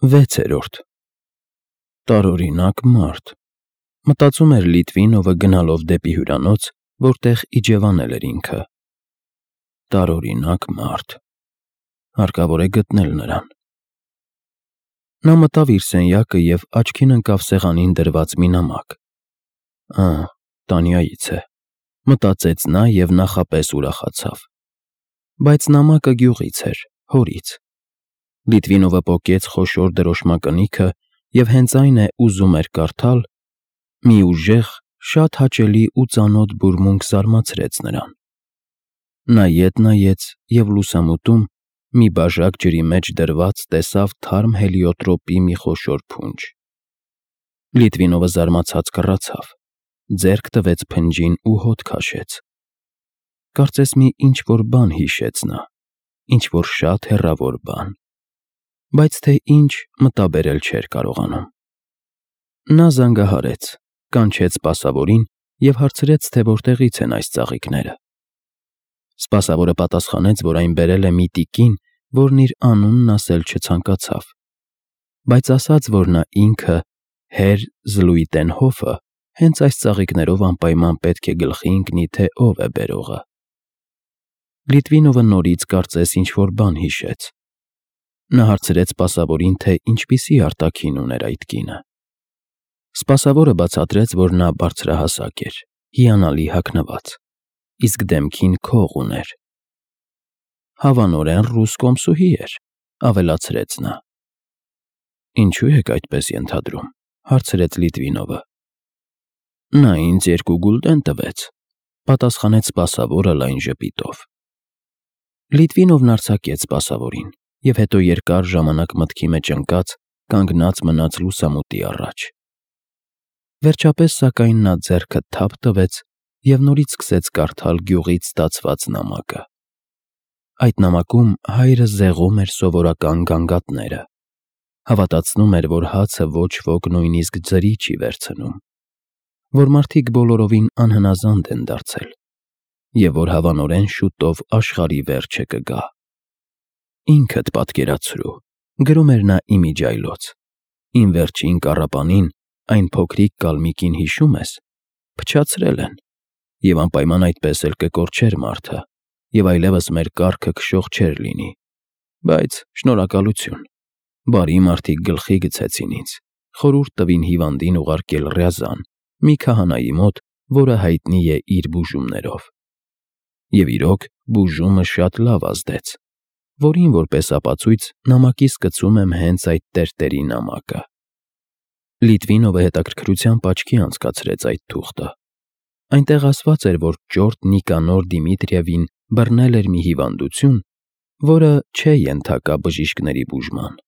6-րդ Տարօրինակ մարդ, մտածում էր Լիտվինովը գնալով դեպի հյուրանոց, որտեղ իջևանել էր ինքը։ Տարօրինակ մարդ, հարկավոր է գտնել նրան։ Նա մտավ իր սենյակը և աչքին ընկավ սեղանին դրված մի նամակ։ Տանյայից է, մտածեց նա և նախապես ուրախացավ։ Բայց նամակը գյուղից էր, հորից։ Լիտվինովը պոկեց խոշոր դրոշմակնիքը և հենց այն է ուզում էր կարդալ, մի ուժեղ, շատ հաճելի ու ծանոթ բուրմունք զարմացրեց նրան։ Նայեց և լուսամուտում, մի բաժակ ջրի մեջ դրված, տեսավ թարմ հելիոտրոպի մի խոշոր փունջ։ Լիտվինովը զարմացած կռացավ, ձեռք տվեց փնջին ու հոտ քաշեց։ Կարծես մի ինչ-որ բան հիշեց նա, ինչ-որ շատ հեռավոր բան, բայց թե ինչ, մտաբերել չէր կարողանում։ Նա զանգահարեց, կանչեց սպասավորին և հարցրեց, թե որտեղից են այս ծաղիկները։ Սպասավորը պատասխանեց, որ այն բերել է մի տիկին, որն իր անունն ասել չցանկացավ, բայց ասաց, որ նա ինքը, Հեր Զլուիտենհոֆը, հենց այս ծաղիկներով անպայման պետք է գլխի ընկնի, թե ով է բերողը։ Լիտվինովը նորից կարծես ինչ-որ բան հիշեց։ Նա հարցրեց սպասավորին, թե ինչպիսի արտաքին ուներ այդ կինը։ Սպասավորը բացատրեց, որ նա բարձրահասակ էր, հիանալի հագնված, իսկ դեմքին քող ուներ։ Հավանորեն ռուս կոմսուհի էր, ավելացրեց նա։ Ինչու եք այդպես ենթադրում, հարցրեց Լիտվինովը։ Նա ինձ 2 գուլդեն տվեց, պատասխանեց սպասավորը լայն ժպիտով։ Լիտվինովն արձակեց սպասավորին և հետո երկար ժամանակ մտքի մեջ ընկած, կանգնած մնաց լուսամուտի առաջ։ Վերջապես, սակայն, նա ձեռքը թափ տվեց և նորից սկսեց կարդալ գյուղից ստացված նամակը։ Այդ նամակում հայրը զեղում էր սովորական գանգատները, հավատացնում էր, որ հացը ոչ ոք նույնիսկ ձրի չի վերցնում, որ մարդիկ բոլորովին անհնազանդ են դարձել և որ հավանորեն շուտով աշխարհի վերջը կգա։ Ինքդ պատկերացրու, գրում էր նա իմիջիայլոց, իմ վերջին կառապանին, այն փոքրիկ կալմիկին հիշում ես, փչացրել են, և անպայման այդպես էլ կկորչեր մարդը, և այլևս մեր կառքը քշող չէր լինի, բայց շնորհակալություն, բարի մարդիկ գլխի գցեցին ինձ, խորհուրդ տվին հիվանդին ուղարկել Ռյազան, մի քահանայի մոտ, որը հայտնի է իր բուժումներով։ Եվ իրոք, բուժումը շատ լավ ազդեց, որին որպես ապացույց նամակիս գցում եմ հենց այդ տերտերի նամակը։ Լիտվինովը հետաքրքրությամբ աչքի անցկացրեց այդ թուղթը։ Այնտեղ ասված էր, որ ճորտ Նիկանոր Դիմիտրիևին բռնել էր մի հիվանդություն, որը չէ ենթակա բժիշկների բուժման,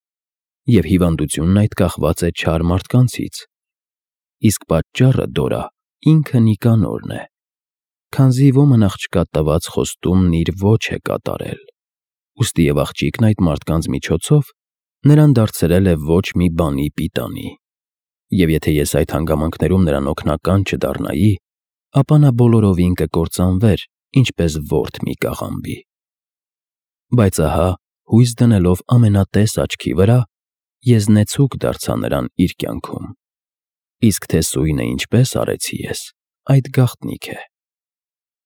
և հիվանդությունն այդ կախված է չար մարդկանցից, իսկ պատճառը, Դորա, ինքը Նիկանորն է, քանզի ոմն աղջկա տված խոստումն իր ոչ է կատարել, ուստի և աղջիկն այդ մարդկանց միջոցով նրան դարձրել է ոչ մի բանի պիտանի, և եթե ես այդ հանգամանքներում նրան օգնական չդառնայի, ապա նա բոլորովին կկործանվեր, ինչպես ворթ մի կաղամբի։ Բայց ահա, հույս դնելով ամենատես աչքի վրա, եզնեցուկ դարձա նրան իր կյանքում, իսկ թե սույնը ինչպես արեցի ես, այդ գաղտնիք է։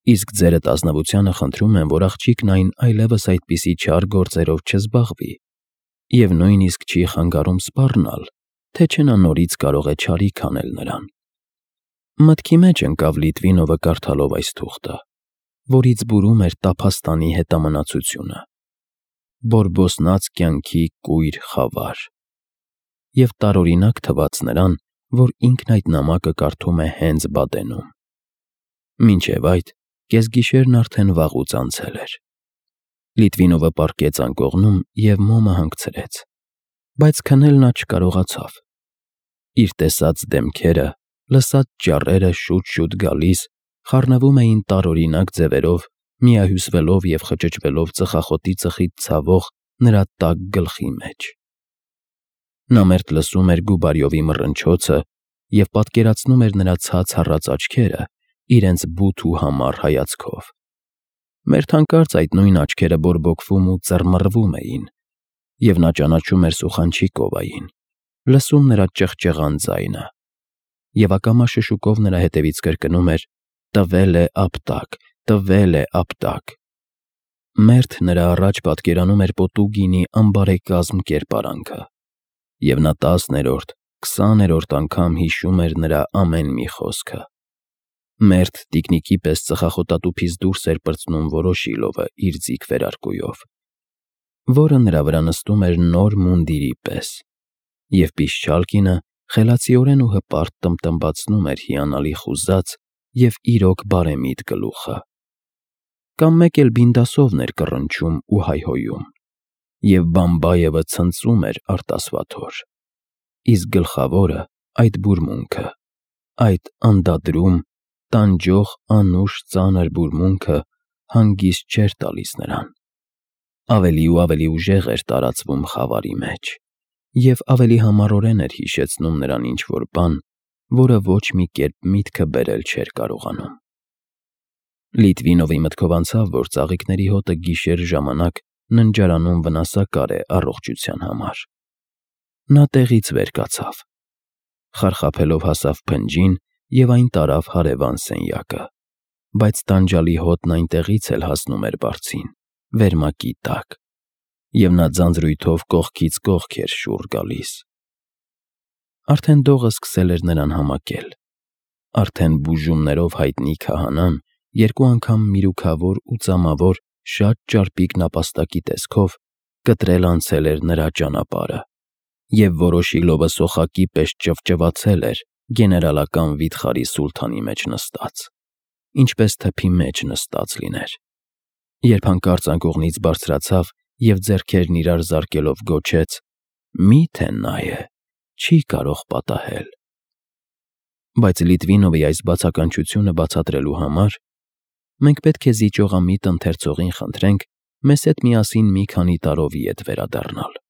Իսկ ձերդ ազնվությանը խնդրում եմ, որ աղջիկն այն այլևս այդպիսի չար գործերով չզբաղվի և նույնիսկ չի խանգարում սպառնալ, թե չէ նա նորից կարող է չարիք անել նրան։ Մտքի մեջ ընկավ Լիտվինովը կարդալով այս թուղթը, որից բուրում էր տափաստանի հետամնացությունը, բորբոսնած կյանքի կույր խավար, և տարօրինակ թվաց նրան, որ ինքն այդ նամակը կարդում է հենց Բադենում։ Մինչև այդ, կեսգիշերն արդեն վաղուց անցել էր։ Լիտվինովը պառկեց անկողնում և մոմը հանգցրեց, բայց քնել նա չկարողացավ։ Իր տեսած դեմքերը, լսած ճառերը շուտ-շուտ գալիս, խառնվում էին տարօրինակ ձևերով, միահյուսվելով և խճճվելով ծխախոտի ծխից ցավող նրա տաք գլխի մեջ։ Նա մերթ լսում էր Գուբարյովի մռնչոցը և պատկերացնում էր նրա ցած հառած աչքերը իրենց բութ ու համառ հայացքով։ Մերթ հանկարծ այդ նույն աչքերը բորբոքվում ու ծռմռվում էին, Եվ նա ճանաչում էր Սուխանչիկովային, լսում նրա ճղճղան ձայնը, և ակամա շշուկով նրա հետևից կրկնում էր. «Տվել է ապտակ, տվել է ապտակ»։ Մերթ նրա առաջ պատկերանում էր Պոտուգինի անբարեկազմ կերպարանքը, և նա 10-րդ, 20-րդ անգամ հիշում էր նրա ամեն մի խոսքը։ Մերթ տիկնիկի պես ծխախոտատուփից դուրս էր պրծնում Վորոշիլովը իր ձիգ վերարկուով, որը նրա վրա նստում էր նոր մունդիրի պես, և Պիշչալկինը խելացիորեն ու հպարտ տմբտմբացնում էր հիանալի խուզած և իրոք բարեմիտ գլուխը։ Կամ մեկ էլ Բինդասովն էր կռնչում ու հայհոյում, և Բամբայևը ցնծում էր արտասվաթոր, իսկ գլխավորը այդ բուրմունքը, այդ անդադրում, տանջող անուշ ծանր բուրմունքը հանգիստ չէր տալիս նրան։ Ավելի ու ավելի ուժեղ էր տարածվում խավարի մեջ, և ավելի համառորեն էր հիշեցնում նրան ինչ-որ բան, որը ոչ մի կերպ միտքը բերել չէր կարողանում։ Լիտվինովի մտքով անցավ, որ ծաղիկների հոտը գիշեր ժամանակ ննջարանում վնասակար է առողջության համար։ Նա տեղից վեր կացավ, խարխափելով հասավ փնջին և այն տարավ հարևան սենյակը, բայց տանջալի հոտն այնտեղից էլ հասնում էր բարձին, վերմակի տակ, և նա ձանձրույթով կողքից կողք էր շուռ գալիս։ Արդեն դողը սկսել էր նրան համակել, արդեն բուժումներով հայտնի քահանան երկու անգամ միրուքավոր ու ծամավոր շատ ճարպիկ նապաստակի տեսքով կտրել անցել էր նրա ճանապարհը, և Վորոշիլովը սոխակի պես ճվճվացել էր գեներալական վիթխարի սուլթանի մեջ նստած, ինչպես թփի մեջ նստած լիներ, երբ հանկարծ անկողնից բարձրացավ և ձեռքերն իրար զարկելով գոչեց. «Մի՞թե նա է, չի կարող պատահել»։ Բայց Լիտվինովի այս բացականչությունը բացատրելու համար մենք պետք է զիջողամիտ ընթերցողին խնդրենք մեզ հետ միասին մի քանի տարովի ետ վերադառնալ։